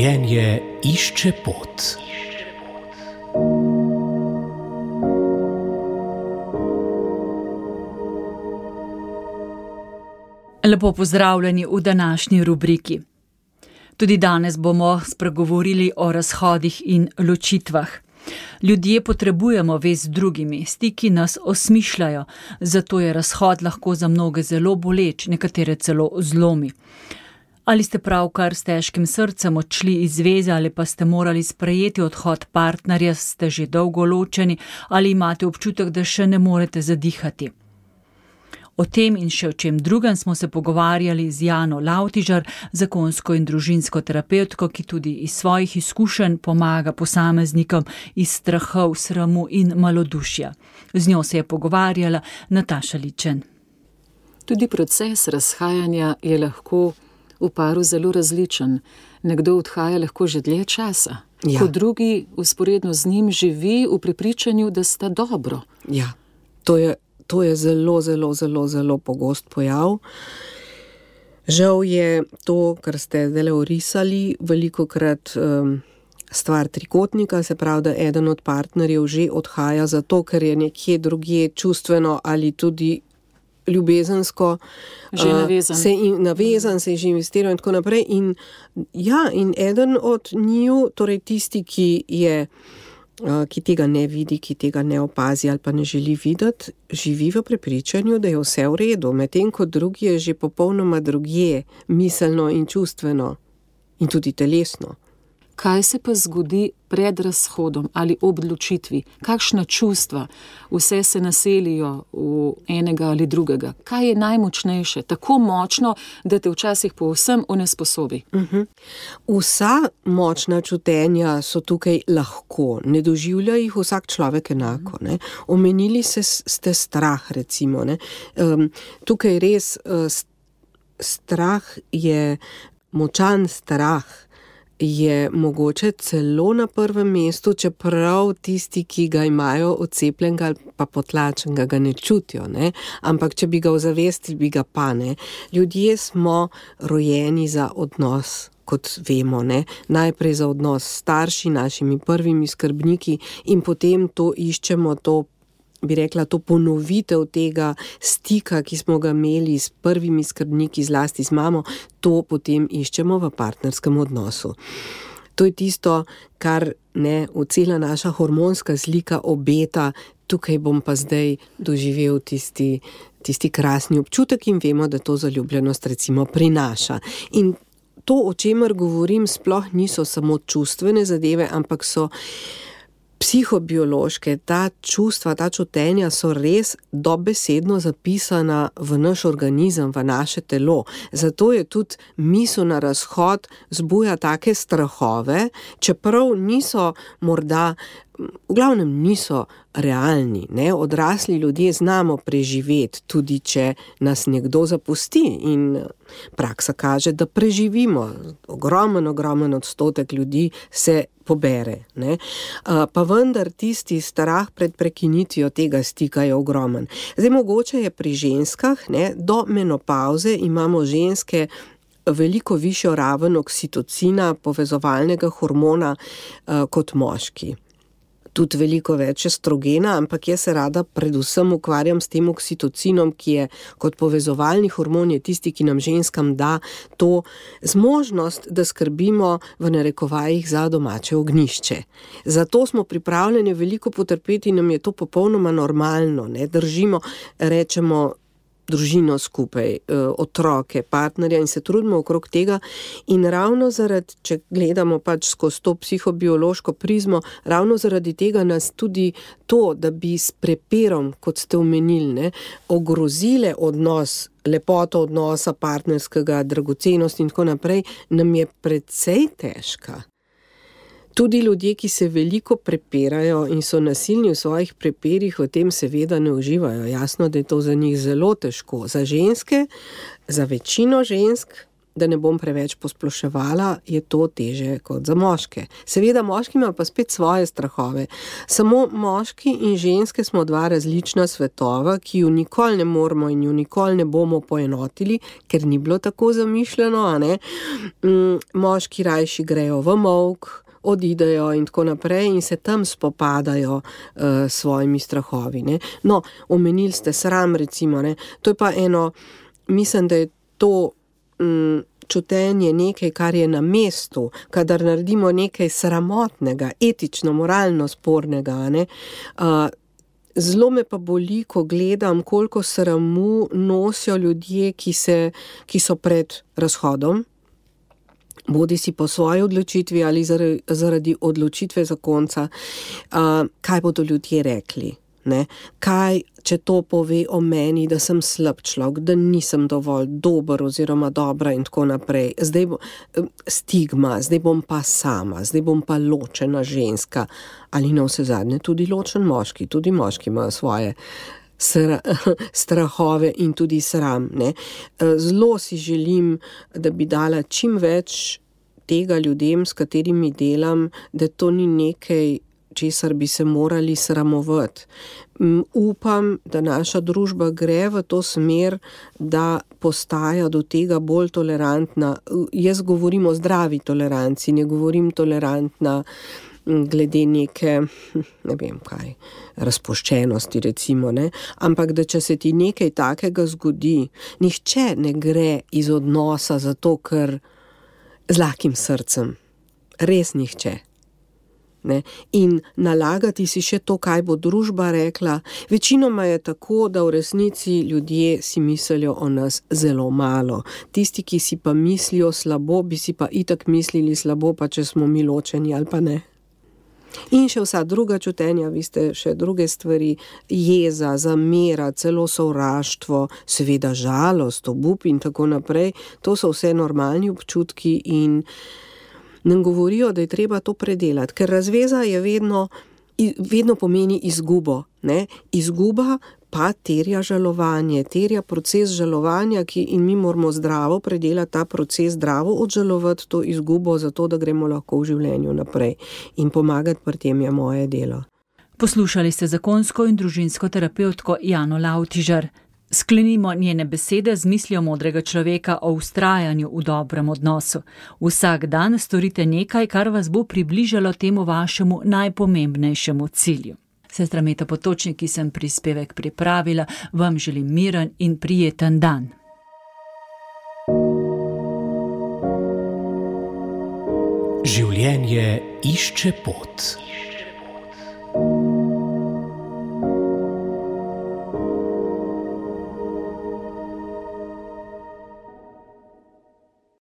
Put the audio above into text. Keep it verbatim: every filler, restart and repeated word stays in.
Življenje išče pot. Lepo pozdravljeni v današnji rubriki. Tudi danes bomo spregovorili o razhodih in ločitvah. Ljudje potrebujemo vez z drugimi, stiki nas osmišljajo, zato je razhod lahko za mnoge zelo boleč, nekatere celo zlomi. Ali ste pravkar s težkim srcem odšli iz zveze ali pa ste morali sprejeti odhod partnerja, ste že dolgo ločeni ali imate občutek, da še ne morete zadihati. O tem in še o čem drugem smo se pogovarjali z Jano Lavtižar, zakonsko in družinsko terapevtko, ki tudi iz svojih izkušenj pomaga posameznikom iz strahov, sramu in malodušja. Z njo se je pogovarjala Nataša Ličen. Tudi proces razhajanja je lahko v paru zelo različen. Nekdo odhaja lahko že dlje časa, ja. Ko drugi vzporedno z njim živi v prepričanju, da sta dobro. Ja, to je To je zelo, zelo, zelo, zelo pogost pojav. Žal je to, kar ste zdaj orisali, velikokrat um, stvar trikotnika, se pravi, da eden od partnerjev že odhaja zato, ker je nekje drugje čustveno ali tudi ljubezensko že navezan. Uh, se in, navezan, se je že investiral in tako naprej. In, ja, in eden od njiju, torej tisti, ki je ki tega ne vidi, ki tega ne opazi ali pa ne želi videti, živi v prepričanju, da je vse v redu, medtem ko drugi je že popolnoma drugje, miselno in čustveno in tudi telesno. Kaj se pa zgodi pred razhodom ali ob odločitvi? Kakšna čustva vse se naselijo v enega ali drugega? Kaj je najmočnejše? Tako močno, da te včasih povsem onesposobi. Uh-huh. Vsa močna čutenja so tukaj lahko. Ne doživlja jih vsak človek enako. Ne? Omenili se, ste strah, recimo. Ne? Um, tukaj res uh, strah je, močan strah, je mogoče celo na prvem mestu, čeprav tisti, ki ga imajo odcepljenega ali pa potlačenega, ga ne čutijo, ne? Ampak če bi ga ozavestili, bi ga pa ne. Ljudje smo rojeni za odnos, kot vemo, ne? Najprej za odnos s starši, našimi prvimi skrbniki in potem to iščemo, to bi rekla, to ponovitev tega stika, ki smo ga imeli s prvimi skrbniki, zlasti z mamo, to potem iščemo v partnerskem odnosu. To je tisto, kar ne, cela naša hormonska slika obeta, tukaj bom pa zdaj doživel tisti, tisti krasni občutek in vemo, da to zaljubljenost recimo prinaša. In to, o čemer govorim, sploh niso samo čustvene zadeve, ampak so psihobiološke, ta čustva, ta čutenja so res dobesedno zapisana v naš organizem, v naše telo. Zato je tudi misel na razhod zbuja take strahove, čeprav niso morda, v glavnem niso realni. Ne? Odrasli ljudje znamo preživeti, tudi če nas nekdo zapusti in praksa kaže, da preživimo. Ogromen, ogromen odstotek ljudi se pobere. Ne? Pa vendar tisti strah pred prekinitvijo tega stika je ogromen. Zdaj mogoče je pri ženskah, ne, do menopavze imamo ženske veliko višjo raven oksitocina, povezovalnega hormona, kot moški. Tudi veliko več estrogena, ampak jaz se rada predvsem ukvarjam s tem oksitocinom, ki je kot povezovalni hormon, je tisti, ki nam ženskam da to zmožnost, da skrbimo v narekovajih za domače ognjišče. Zato smo pripravljeni veliko potrpeti in nam je to popolnoma normalno. Ne? Držimo, rečemo, družino skupaj, otroke, partnerja in se trudimo okrog tega in ravno zaradi, če gledamo pač skozi to psihobiološko prizmo, ravno zaradi tega nas tudi to, da bi s prepirom, kot ste omenili, ne, ogrozile odnos, lepoto odnosa partnerskega, dragocenost in tako naprej, nam je precej težka. Tudi ljudje, ki se veliko prepirajo in so nasilni v svojih prepirih, v tem seveda ne uživajo. Jasno, da je to za njih zelo težko. Za ženske, za večino žensk da ne bom preveč posploševala, je to teže kot za moške. Seveda moški ima pa spet svoje strahove. Samo moški in ženske smo dva različna svetova, ki ju nikoli ne moramo in ju nikoli ne bomo poenotili, ker ni bilo tako zamišljeno, a ne. Moški rajši grejo v molk, odidejo in tako naprej in se tam spopadajo uh, s svojimi strahovi. Ne. No, omenili ste sram, recimo, ne. To je pa eno, mislim, da je to um, čutenje nekaj, kar je na mestu, kadar naredimo nekaj sramotnega, etično, moralno spornega, ne. Uh, Zelo me pa boli, ko gledam, koliko sramu nosijo ljudje, ki, se, ki so pred razhodom, bodi si po svoji odločitvi ali zaradi, zaradi odločitve zakonca, uh, kaj bodo ljudje rekli. Ne? Kaj, če to pove o meni, da sem slab človek, da nisem dovolj dober oziroma dobra in tako naprej. Zdaj bo stigma, zdaj bom pa sama, zdaj bom pa ločena ženska. Ali na vse zadnje tudi ločen moški, tudi moški imajo svoje Sra, strahove in tudi sram. Ne? Zelo si želim, da bi dala čim več tega ljudem, s katerimi delam, da to ni nekaj, česar bi se morali sramovati. Upam, da naša družba gre v to smer, da postaja do tega bolj tolerantna. Jaz govorim o zdravi toleranci, ne govorim tolerantna glede neke, ne vem kaj, razpuščenosti recimo, ne, ampak da če se ti nekaj takega zgodi, nihče ne gre iz odnosa zato, ker z lakim srcem, res nihče. Ne? In nalagati si še to, kaj bo družba rekla. Večinoma je tako, da v resnici ljudje si mislijo o nas zelo malo. Tisti, ki si pa mislijo slabo, bi si pa itak mislili slabo, pa če smo mi ločeni ali pa ne. In še vsa druga čutenja, vi ste še druge stvari, jeza, zamera, celo sovraštvo, seveda žalost, obup in tako naprej. To so vse normalni občutki in nam govorijo, da je treba to predelati, ker razveza je vedno, vedno pomeni izgubo. Ne? Izguba pa terja žalovanje, terja proces žalovanja, ki in mi moramo zdravo predelati ta proces, zdravo odžalovati to izgubo, zato da gremo lahko v življenju naprej. In pomagati pri tem je moje delo. Poslušali ste zakonsko in družinsko terapevtko Jano Lavtižar. Sklenimo njene besede z mislijo modrega človeka o vztrajanju v dobrem odnosu. Vsak dan storite nekaj, kar vas bo približalo temu vašemu najpomembnejšemu cilju. Sestra Meta Potočnik, ki sem prispevek pripravila, vam želim miren in prijeten dan. Življenje išče pot.